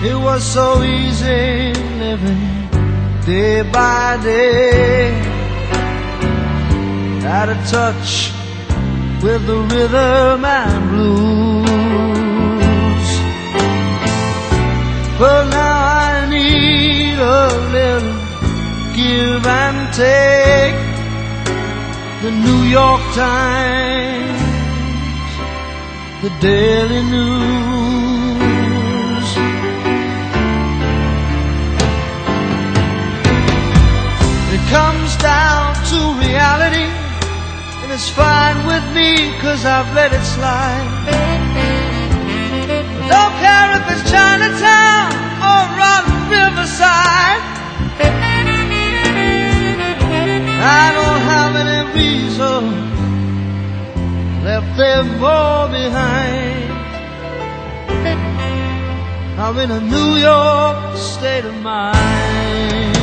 S4: It was so easy living day by day, out of touch with the rhythm and blues. But now I need a little give and take. The New York Times, the Daily News. It comes down to reality, and it's fine with me, because I've let it slide. I don't care if it's Chinatown or on Riverside. I don't have any reason, left them all behind. I'm in a New York state of mind.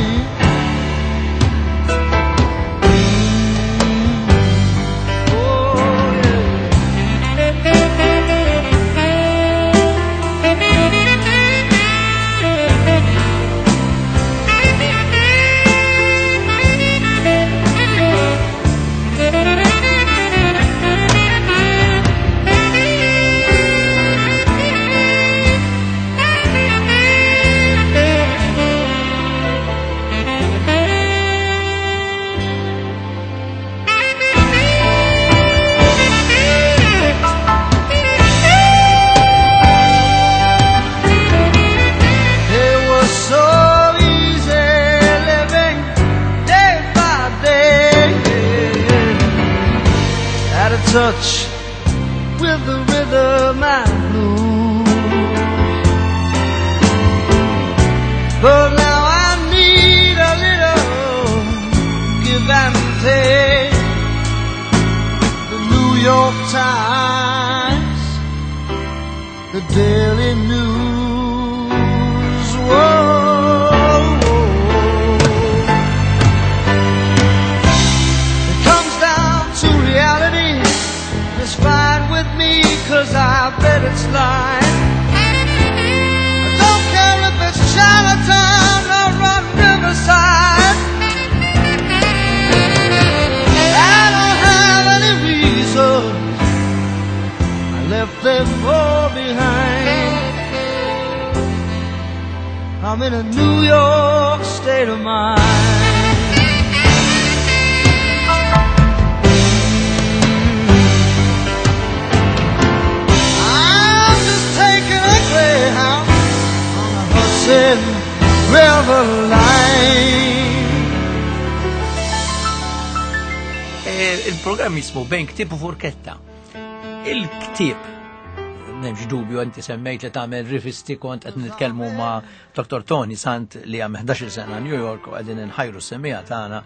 S4: touch with the rhythm and blues. But now I need a little give and take. The New York Times, the Daily News. Whoa. It comes down to reality. It's fine with me, 'cause I bet it's lying. I don't care if it's Chinatown or on Riverside. I don't have any reason. I left them all behind. I'm in a New York state of mind. I'm just taking a Greyhound on the Hudson River line.
S1: Il-programm jismu Bejn Ktieb u Furketta. Il-ktieb, m'hemmx dubju, inti semmejt li tagħmel rivisti, kont qed nitkellmu ma' Dr. Tony Sant li għam 11 sena New York u qegħdin inħajru s-semija tagħna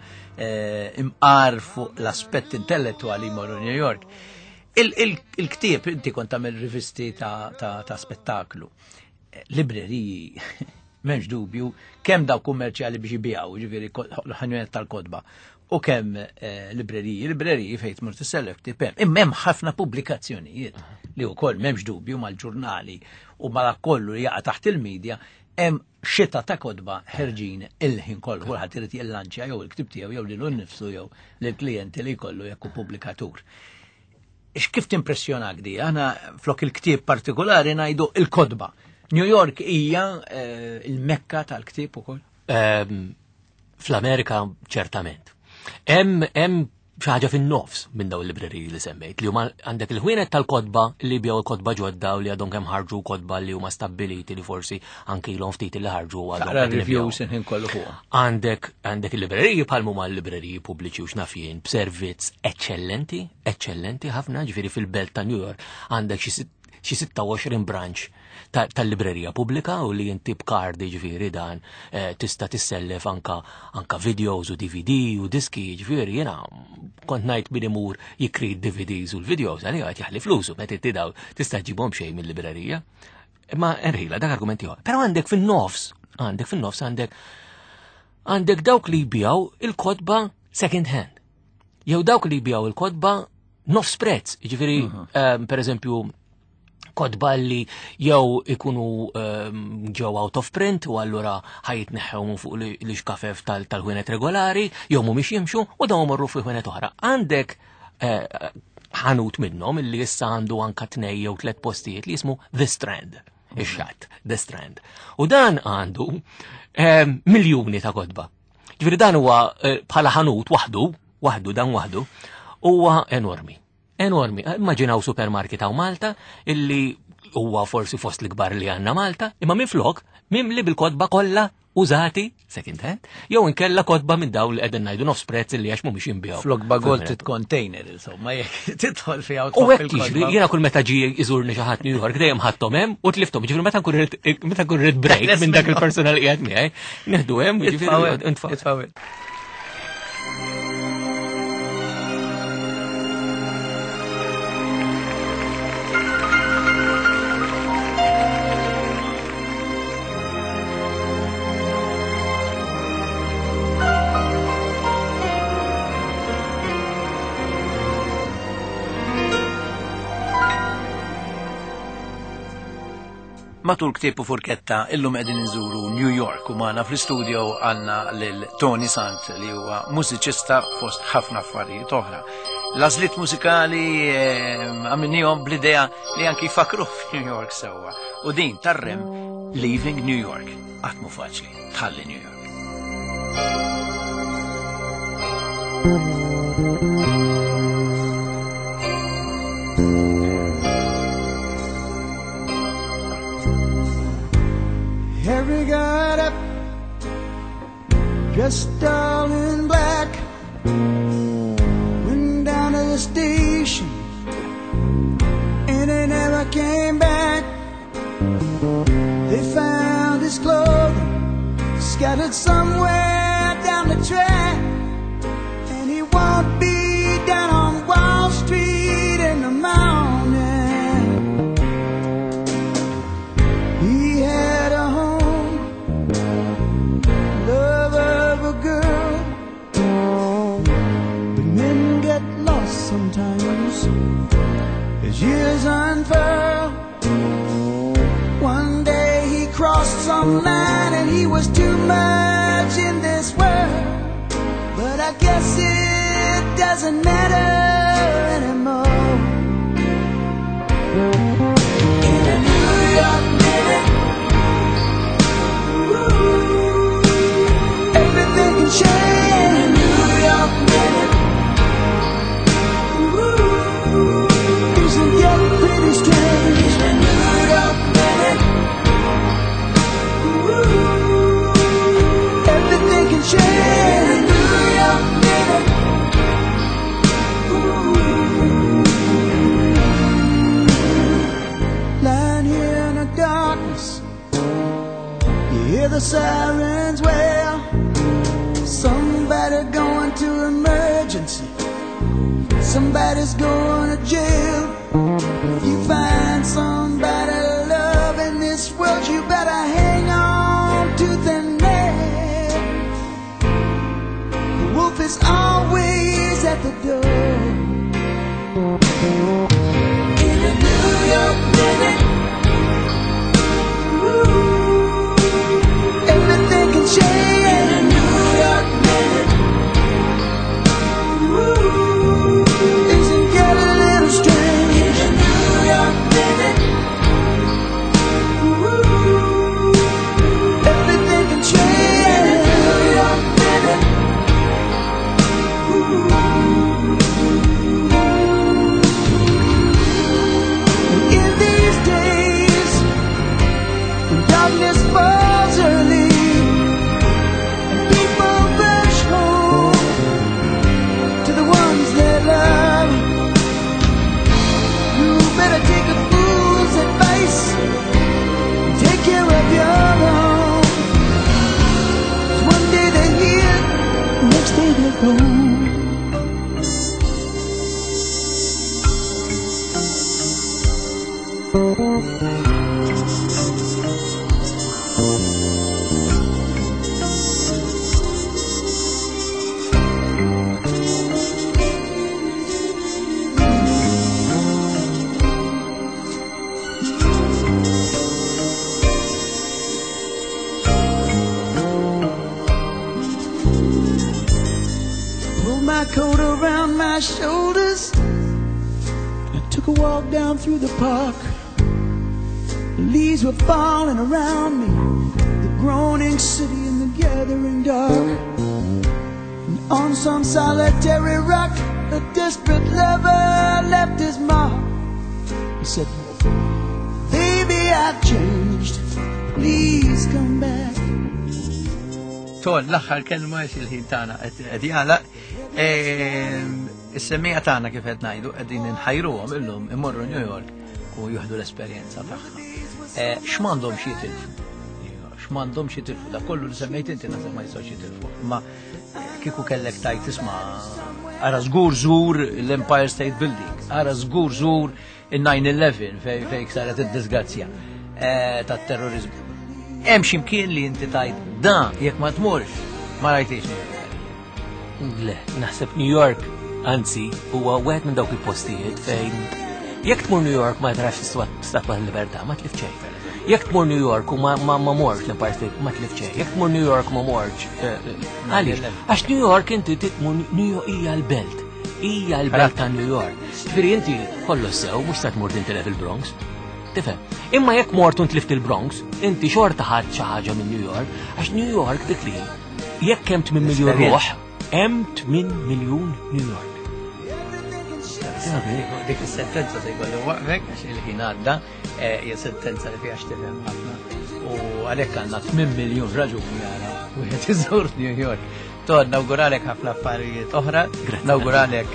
S1: imqar fuq l-aspett intellettwali jmorru New York. Il-ktieb, inti kont tagħmel rivisti ta' spettaklu. Libreriji, m'hemmx dubju, kemm daw kummerċjali biex jbijaw, ġifieri l-ħanjunet tal-kotba, u kemm libreriji, libreriji fejn tmur tissellef ktieb hemm. Imma hemm ħafna pubblikazzjonijiet li wkoll m'hemmx dubju mal-ġurnali u ma kollu li jaqa' taħt il-medja, hemm xita ta' kotba ħerġin il-ħin kollu, kulħadd irid jillanċja jew il-ktieb tiegħu jew lilu nnifsu jew lill-klijenti li jkollu jekk hu pubblikatur. Ix kif timpressjonak di? Aħna flok il-ktieb partikolari ngħidu il-kotba. New York hija il-mekka tal-ktieb ukoll?
S3: Fl-Amerika ċertament. Hemm xi ħaġa fin-nofs minn dawn il-libreriji li semmejt, li huma għandek il-ħwienet tal-kotba li jbigħu l-kotba ġodda u li għadhom kemm ħarġu kotba li huma stabbiliti li forsi anke ilhom ftit li ħarġu u għadhom
S1: Taqra
S3: qegħdin ibigħu.
S1: reviews inħin kollu fuqhom.
S3: Għandek il-libreriji bħal huma l-libreriji pubbliċi u x'naf jien b'servizz eċċellenti, eċċellenti ħafna, ġifieri fil-belt ta' New York għandek xi 26 branch tal-librerija pubblika u li inti b'kard, ġifieri dan tista' tissellef anka videos u DVD u diski, ġifieri jiena kont ngħid min imur jikri D V Ds u l-videos, għalija qed jaħli flusu, meta inti daw tista' ġibhom xejn mill-librerija. Imma erħila dak argument ieħor. Però għandek fin-nofs, għandek fin-nofs, għandek, għandek dawk li jbijaw il-kotba second hand. Jew dawk li jbijaw il-kotba nofs prezz, ġifieri, per eżempju, kotba li jew ikunu ġew out of print u allura ħajitneħħew minn fuq li xkafef tal-ħwienet regolari, jew mhumiex jimxu u dawn morru fi ħwienet oħra. Għandek ħanut minnhom illi issa għandu anka 2 jew 3 postijiet li jismu The Strand, ix-xatt, The Strand. U dan għandu miljuni ta' kotba. Ġifieri dan huwa bħala ħanut waħdu, waħdu dan waħdu, huwa enormi. Enormi. Immaġinaw supermarket hawn Malta illi huwa forsi fost l-ikbar li għandna Malta, imma minflok mimli bil-kotba kollha użati second hand, jew inkella kotba minn dawn li qegħdin ngħidu nofs prezz li għax mhumiex jinbiegħu.
S1: Flok bagol
S3: Fil-mera.
S1: tit container, insomma, jekk tidħol fiha u
S3: U
S1: tħobb
S3: hekk
S1: il-kotba.
S3: jiġri, jiena kull meta ġie iżurni xi ħadd New York dejjem ħadthom hemm u tlifthom. Ġifieri meta nkun rid break
S1: Teħles
S3: minn dak
S1: minnhom.
S3: il-personal li qiegħed miegħi, nieħdu hemm, jiġifieri,
S1: Itfgħu hemm,
S3: intfgħu.
S1: itfgħu hemm. Matul Ktieb u Furketta illum qegħdin inżuru New York u magħna fl-istudio għandna lil Tony Sant li huwa mużiċista fost ħafna affarijiet oħra. L-għażliet mużikali għamilnihom bl-idea li anki jfakru f'New York sewwa. U din tarrem Leaving New York. Qatt mhu faċli tħalli New York.
S4: Harry got up, dressed all in black, went down to the station Sometimes as years unfurl, one day he crossed some line and he was too much in this world. But I guess it doesn't matter anymore. In a New York minute, ooh, everything can change. In a New York minute, ooh, things can get pretty strange. In a New York minute, ooh, everything can change. In a New York minute, ooh. Lying here in the darkness, you hear the sirens wail. Somebody going to emergency, somebody's going to jail. If you find somebody love in this world, you better hang on to the nail. The wolf is always at the door. In a New York minute, ooh, everything can change. In a New York minute, ooh, things can get a little strange. In a New York minute, ooh, everything can change. In a New York minute, ooh. In these days, when darkness falls early and people rush home to the ones they love, you better take a fool's advice and take care of your own. 'Cause one day they're here, next day they're gone. Pulled my coat around my shoulders. I took a walk down through the park. The leaves were falling around me, the groaning city in the gathering dark. And on some solitary rock, a desperate lover left his mark. He said, "Baby, I've changed. Please come back."
S1: Ton, l-aħħar kelma għax il-ħin tagħna qed jagħlaq. Is-semmiegħa tagħna kif qed ngħidu qegħdin inħajruhom illum imorru New York u jieħdu l-esperjenza tagħha. X'm'għandhomx jitilfu? X'm'għandhomx jitilfu? Da kollu li semmejt inti naħseb ma jistgħux jitilfu. Ma kieku kellek tajt tisma' ara żgur żur l-Empire State Building, ara żgur żur il-9/11 fej saret id-disgrazzja tat-terrorizmu. Hemm xi mkien li inti tajt da jekk ma tmurx ma rajtix New York.
S3: Le, naħseb New York, anzi, huwa wieħed minn dawk il-postijiet fejn jekk tmur New York ma tarax Statwa tal-Libertà, ma tlif xejn. Jekk tmur New York u ma morx l-Empire State, ma tlif xejn. Jekk tmur New York ma morx, għaliex? Għax New York inti tmur New York hija l-belt. Hija l-belt ta' New York. Ġifieri inti kollox sew, mhux se tmur tintilef il-Bronx. Tifhem? Imma jekk mort u ntlift il-Bronx, inti xorta ħadd xi ħaġa minn New York, għax New York dik li jekk hemm 8 miljun ruħ, hemm 8 miljun New York.
S1: Dik is-sentenza se jkollu waqfek għax il-ħin għadda, hija sentenza li fiha x'tifhem ħafna. U għalhekk għandna 8 miljun raġuni għara wieħed iżur New York. Ton, nawguralek ħafna affarijiet oħra, nawguralek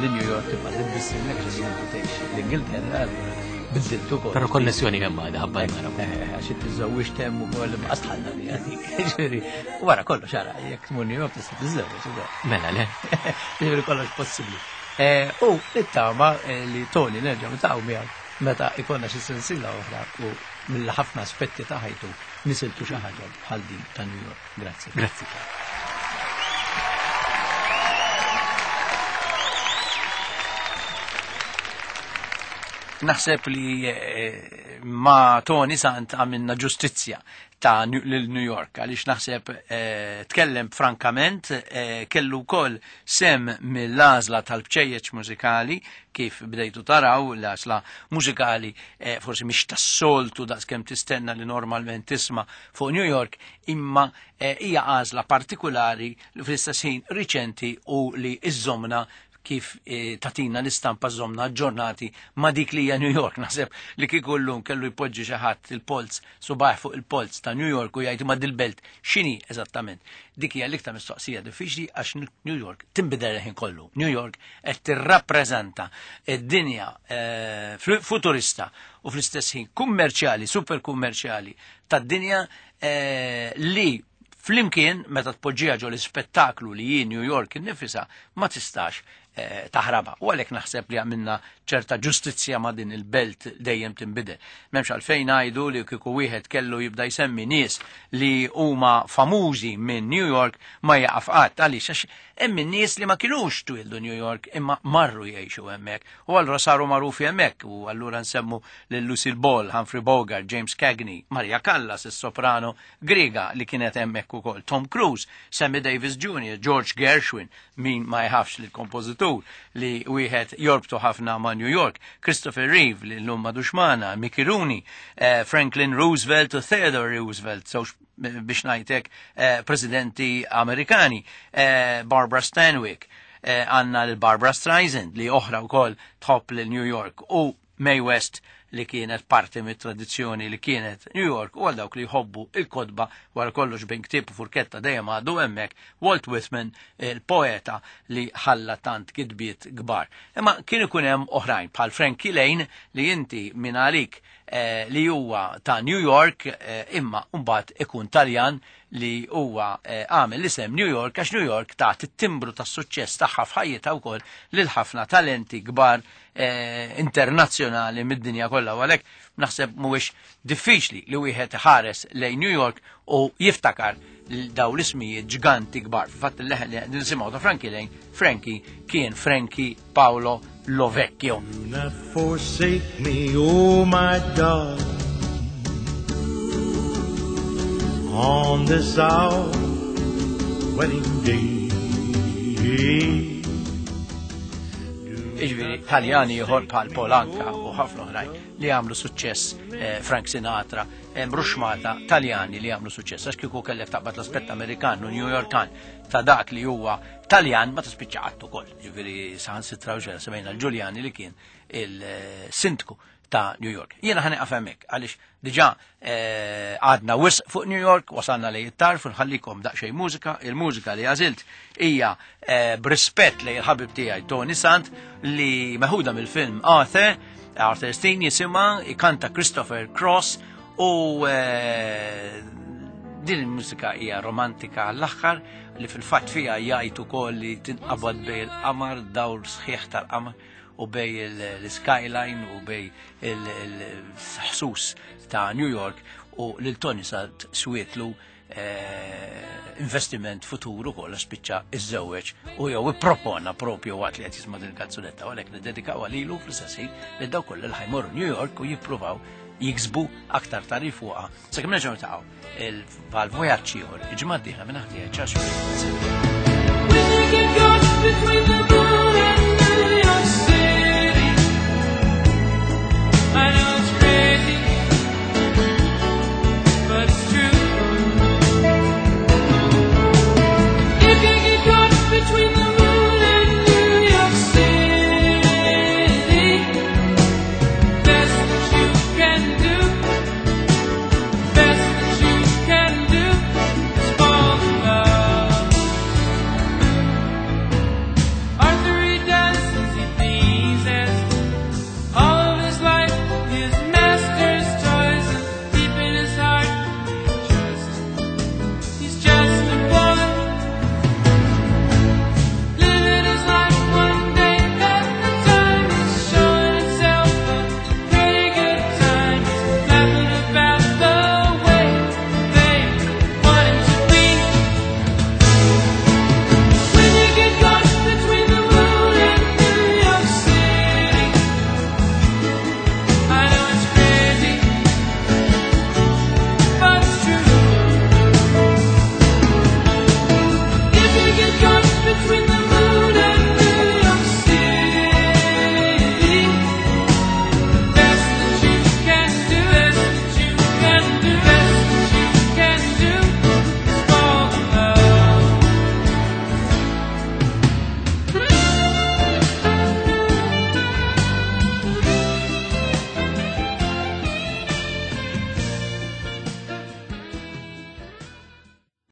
S1: li New York tibqa' tibissimlek għax inti tgħix l-Ingilterra, allura biddilt ukoll.
S3: Però konnessjoni hemm għadha ħabba l-mara.
S1: Għax inti żewwiġt hemm ukoll imma qasħalna li għadik. Ġifieri, wara kollox ara, jekk tmur New York tista' tiżżewweġ ukoll.
S3: Mela le.
S1: Ġifieri kollox possibbli. U nittama li Tony nerġa' niltaqgħu miegħek meta ikollna xi sensiela oħra u mill-ħafna aspetti ta' ħajtu nisiltu xi ħaġa bħal din ta' New York. Grazzi.
S3: Grazzi.
S1: Naħseb li ma' Tony Sant għamilna ġustizzja ta' lil New York, għaliex naħseb tkellem frankament, kellu wkoll sem mill-għażla tal-bċejjeċ mużikali, kif bdejtu taraw l-għażla mużikali forsi mhix tas-soltu daqskemm tistenna li normalment tisma' fuq New York, imma hija għażla partikulari li fl-istess ħin riċenti u li iżżomna kif tatina l-istampa żomna aġġornati ma' dik li hija New York. Naħseb li kieku llum kellu jpoġġi xi ħadd il-polz, subajh fuq il-polz ta' New York u jgħid ma' dil-belt x'inhi eżattament. Dik hija l-iktar mistoqsija diffiċli għax New York tinbidel il-ħin kollu. New York qed tirrappreżenta d-dinja futurista u fl-istess ħin kummerċjali, super kummerċjali tad-dinja li flimkien meta tpoġġiha ġo l-ispettaklu li hi New York innifisha ma tistax taħrabha. U għalhekk naħseb li għamilna ċerta ġustizzja ma' din il-belt dejjem tinbidel. M'hemmx għalfejn ngħidu li kieku wieħed kellu jibda jsemmi nies li huma famużi minn New York ma jaqaf qatt. Għaliex? Għax hemm in-nies li ma kinux twildu New York imma marru jgħixu hemmhekk u allura saru magħrufi hemmhekk, u allura nsemmu lil Lucille Ball, Humphrey Bogart, James Cagney, Maria Callas, is-soprano Griega li kienet hemmhekk ukoll, Tom Cruise, Sammy Davis Jr., George Gershwin, min ma jħafx lill-kompożitur li wieħed jorbtu ħafna ma' New York, Christopher Reeve li llum m'għadux magħna, Mickey Rooney, Franklin Roosevelt u Theodore Roosevelt, żewġ biex ngħidlek presidenti Amerikani, Barbara Stanwyck, għandna lil Barbara Streisand li oħra wkoll tħobb lil New York, u Mae West li kienet parti mit-tradizzjoni li kienet New York, u għal dawk li jħobbu il-kotba wara kollox bejn ktieb u furketta dejjem għadu hemmhekk, Walt Whitman, il-poeta li ħalla tant kitbiet kbar. Imma kien ikun hemm oħrajn bħal Frankie Laine li inti minn għalik li huwa ta' New York, imma mbagħad ikun Taljan li huwa għamel l-isem New York għax New York tat it-timbru tas-suċċess tagħha f'ħajjitha wkoll lil ħafna talenti kbar internazzjonali mid-dinja kollha, u għalhekk naħseb mhuwiex diffiċli li wieħed ħares lejn New York u jiftakar daw l-ismijiet ġganti kbar. Fil-fatt il-leħen li qegħdin nisimgħu ta' Frankie Laine, Frankie kien Frankie Paolo Lovecchio.
S4: Do not forsake me, oh my darling, on this our wedding day.
S1: Iġviri, Taljani ieħor bħal Polanka u ħafna oħrajn li għamlu suċċess, Frank Sinatra, hemm ruxmata Taljani li għamlu suċċess, għax kieku kellek taqbad l-aspett Amerikan u New Yorkan ta' dak li huwa Taljan ma tispiċċa qatt ukoll. Ġifieri saħansitra u ġera semmejna l-Giuliani li kien il-sindku ta' New York. Jiena ħa nieqaf hemmhekk għaliex diġà għadna wisq fuq New York, wasalna lejn it-tarf, nħallikom daqsxejn mużika. Il-mużika li għażilt hija b'rispett lejn il-ħabib tiegħi Tony Sant li meħuda mill-film Arthur, Arthur Steen jisimha, ikanta Christopher Cross, u din il-mużika hija romantika għall-aħħar li fil-fatt fiha jgħid ukoll li tinqabad bej il-qamar, dawl sħiħ tal-qamar, u bej l-skyline u bej il-ħsus ta' New York, u lil Tony Sant swietlu investiment futuru kollha spiċċa iżżewweġ u jew ippropona propju waqt li qed jisma' din il-kanzunetta, u għalhekk niddedikaw għalilu fl-istess ħin li dawk kollha li ħajmorru New York u jippruvaw jiksbu aktar tarif fuqha. Sakemm nerġgħu niltaqgħu il-vojaġġ ieħor, il-ġimgħa d-dieħla minn aħti ċax.
S4: When you get caught between the